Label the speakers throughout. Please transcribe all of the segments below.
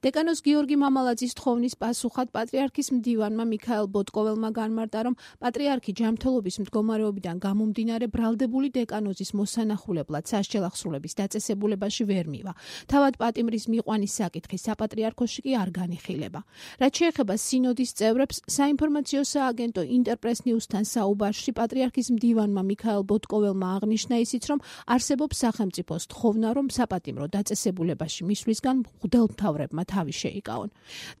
Speaker 1: დეკანოს გიორგი მამალაძის თხოვნის პასუხად პატრიარქის მდივანმა მიქაელ ბოტკოველმა განმარტა, რომ პატრიარქი ჯანმრთელობის მდგომარეობიდან გამომდინარე ბრალდებული დეკანოზის მოსანახულებლად სასჯელახსრულების დაწესებულებაში ვერ მივა. თავად პატიმრის მიყვანის საკითხი საპატრიარქოში კი არ განიხილება. რაც შეეხება სინოდის წევრებს, საინფორმაციო სააგენტო ინტერპრეს ნიუსთან საუბარში პატრიარქის მდივანმა მიქაელ ბოტკოველმა აღნიშნა ისიც, რომ არსებობს სახელმწიფოს თხოვნა, რომ საპატიმრო დაწესებულებაში მისვლისგან მღვდელმთავრებმა თავი შეიკავონ.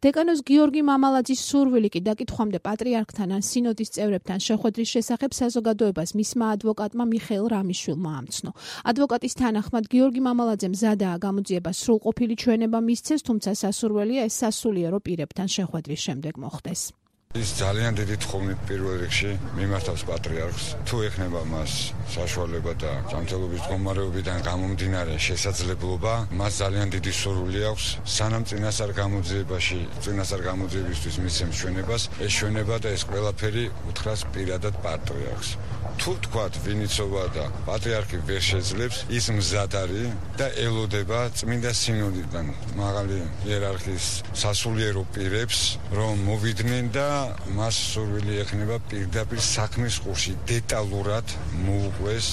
Speaker 1: დეკანოს გიორგი მამალაძის სურვილი კი დაკითხვამდე პატრიარქთან ან სინოდის წევრებთან შეხვედრის შესახებ საზოგადოებას მისმა ადვოკატმა მიხეილ რამიშვილმა ამცნო. ადვოკატის თანახმად გიორგი მამალაძემ მზადაა გამოძიება სრულყოფილი ჩვენება მისცეს, თუმცა სასურველია ეს სასულიერო პირებთან შეხვედრის შემდეგ მოხდეს.
Speaker 2: ის ძალიან დიდი თხოვნით პირველ რიგში მიმართავს პატრიარქს, თუ ეხნება მას საშუალება და ჯანმრთელობის მდგომარეობიდან გამომდინარე შესაძლებლობა, მას ძალიან დიდი სურვილი აქვს სანამ წინასწარ გამოძიებაში, წინასწარ გამოძიებისთვის მისცემს ჩვენებას, ეს ჩვენება და ეს ყველაფერი უთხრას პირადად პატრიარქს. თუ თქვათ ვინიცობა და პატრიარქი ვერ შეძლებს, ის მზად არის და ელოდება წმინდა სინოდიდან მაღალი იერარქიის სასულიერო პირებს, რომ მოვიდნენ და მას სურვილი ექნება პირდაპირ საქმის ყურში დეტალურად მოუყვეს.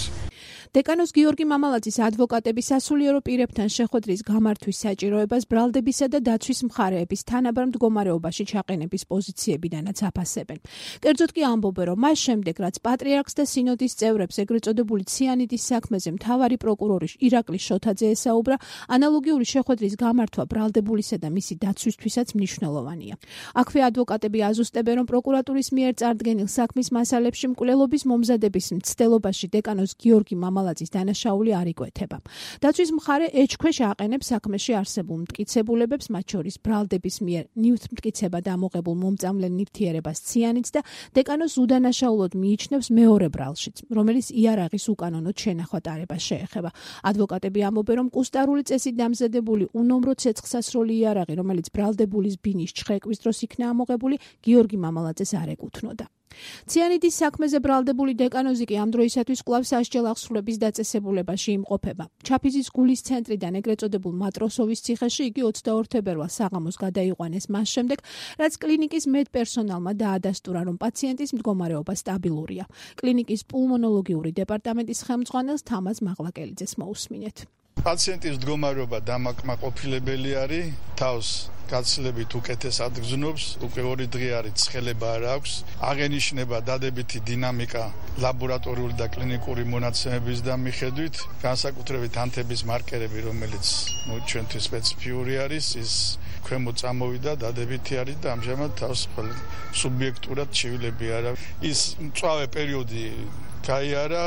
Speaker 1: დეკანოს გიორგი მამალაძის ადვოკატები სასულიერო პირებთან შეხვედრის გამართვის საჭიროებას ბრალდებისა და დაცვის მხარეების თანაბარ მდგომარეობაში ჩაყენების პოზიციებიდანაც აფასებენ. კერძოდ კი ამბობენ, რომ მას შემდეგ, რაც პატრიარქს და სინოდის წევრებს ეგრეთ წოდებული ციანიდის საქმეზე მთავარი პროკურორი ირაკლი შოთაძე ესაუბრა, ანალოგიური შეხვედრის გამართვა ბრალდებულისა და მისი დაცვისთვისაც მნიშვნელოვანია. აქვე ადვოკატები აზუსტებენ, რომ პროკურატურის მიერ წარდგენილ საქმის მასალებში მკვლელობის მომზადების მცდელობაში დეკანოს გიორგი მამალაძის დანაშაული არ იკვეთება. დაცვის მხარე ეჭქვეშ აყენებს საქმეში არსებულ მტკიცებულებებს, მათ შორის ბრალდების მიერ ნივთმტკიცება დამოღებულ მომწამლელ ნივთიერებას ციანიდს და დეკანოს უდანაშაულოდ მიიჩნევს მეორე ბრალშიც, რომელიც იარაღის უკანონოდ შენახვა ტარებას შეეხება. ადვოკატები ამბობენ, რომ კუსტარული წესით დამზადებული უნომრო ცეცხლსასროლი იარაღი, რომელიც ბრალდებულის ბინის ჩხრეკვის დროს იქნა ამოღებული, გიორგი მამალაძეს არ ეკუთვნოდა. ციანიდის საქმეზე ბრალდებული დეკანოზი კი ამ დროისათვის კვლავ სასჯელახსრულების დაწესებულებაში იმყოფება. ჩაფიზის გულის ცენტრიდან ეგრეთ წოდებულ მატროსოვის ციხეში იგი 22 თებერვალს საღამოს გადაიყვანეს მას შემდეგ, რაც კლინიკის მედპერსონალმა დაადასტურა, რომ პაციენტის მდგომარეობა სტაბილურია. კლინიკის პულმონოლოგიური დეპარტამენტის ხელმძღვანელს თამაზ მაღლაკელიძეს მოусმინეთ.
Speaker 3: პაციენტის მდგომარეობა დამაკმაყოფილებელი არის, თავს გაცილებით უკეთეს ადგზნობს, უკვე 2 დღე არის ცხელება არ აქვს, აღენიშნება დადებითი დინამიკა ლაბორატორიული და კლინიკური მონაცემების და მიხედვით, განსაკუთრებით ანთების მარკერები, რომელიც ჩვენთვის სპეციფიური არის, ის ქვემოთ წამოვიდა, დადებითი არის და ამჟამად თავს სუბიექტურად ჩივილები არა. ის მწვავე პერიოდი გაიარა,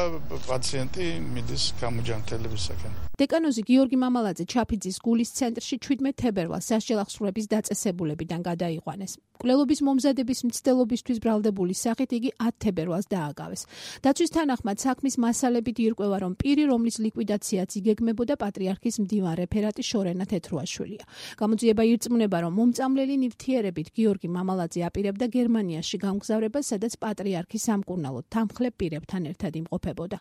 Speaker 3: პაციენტი მიდის გამოჯანმრთელებისაკენ.
Speaker 1: დეკანოზი გიორგი მამალაძე ჩაფიძის გულის ცენტრში 17 თებერვალს სასჯელახსრულების დაწესებულებიდან გადაიყვანეს. მკვლელობის მომზადების მცდელობისთვის ბრალდებულის სახით იგი 10 თებერვალს დააგავეს. დაცვის თანახმად საქმის მასალებით ირკვევა, რომ პირი, რომლის ლიკვიდაციაც იგეგმებოდა, პატრიარქის მდივან რეფერატი შორენა თეთრუაშვილია. გამოძიება ირწმუნება, რომ მომწამლელი ნივთიერებით გიორგი მამალაძე აპირებდა გერმანიაში გამგზავრებას, სადაც პატრიარქი სამკურნალოდ თანმხლებ პირებთან ერთად იმყოფებოდა.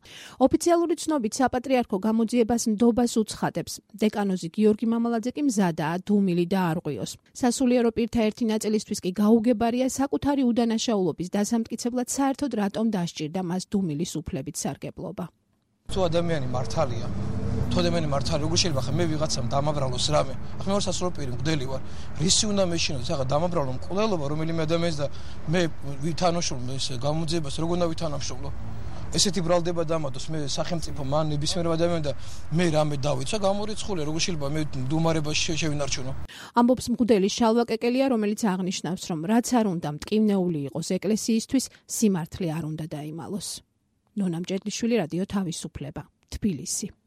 Speaker 1: ოფიციალური ცნობით საპატრიარქო გამოძიებას ნდობას უცხადებს. დეკანოზი გიორგი მამალაძე კი მზადაა დუმილი დაარღვიოს. სასულიერო პირთა ერთი ნაწილისთვის კი გაუგებარია საკუთარი უდანაშაულობის დასამტკიცებლად საერთოდ რატომ დასჭირდა მას დუმილის უფლებით სარგებლობა.
Speaker 4: თუ ადამიანი მართალია, თუ ადამიანი მართალია, როგორ შეიძლება ხა მე ვიღაცამ დამაბრალოს რამე. ახლა მე ვარ სასულიერო პირი, მგდელი ვარ. რისი უნდა მეშინოს, ახლა დამაბრალო მკვლელობა რომელიმე ადამიანს და მე ვითანაშრომლო ეს გამოძიებას, როგორ უნდა ვითანამშრომლო? ესეთი ბრალდება დამადოს მე სახელმწიფო მან ნებისმიერ ადამიანს და მე რამე დავიცვა გამორიცხულია, როგორ შეიძლება მე მდუმარებაში შევინარჩუნო?
Speaker 1: ამბობს მგდელი შალვა კეკელია, რომელიც აღნიშნავს, რომ რაც არ უნდა მტკივნეული იყოს ეკლესიისთვის, სიმართლე არ უნდა დაიმალოს. ნონა მჭედლიშვილი, რადიო თავისუფლება, თბილისი.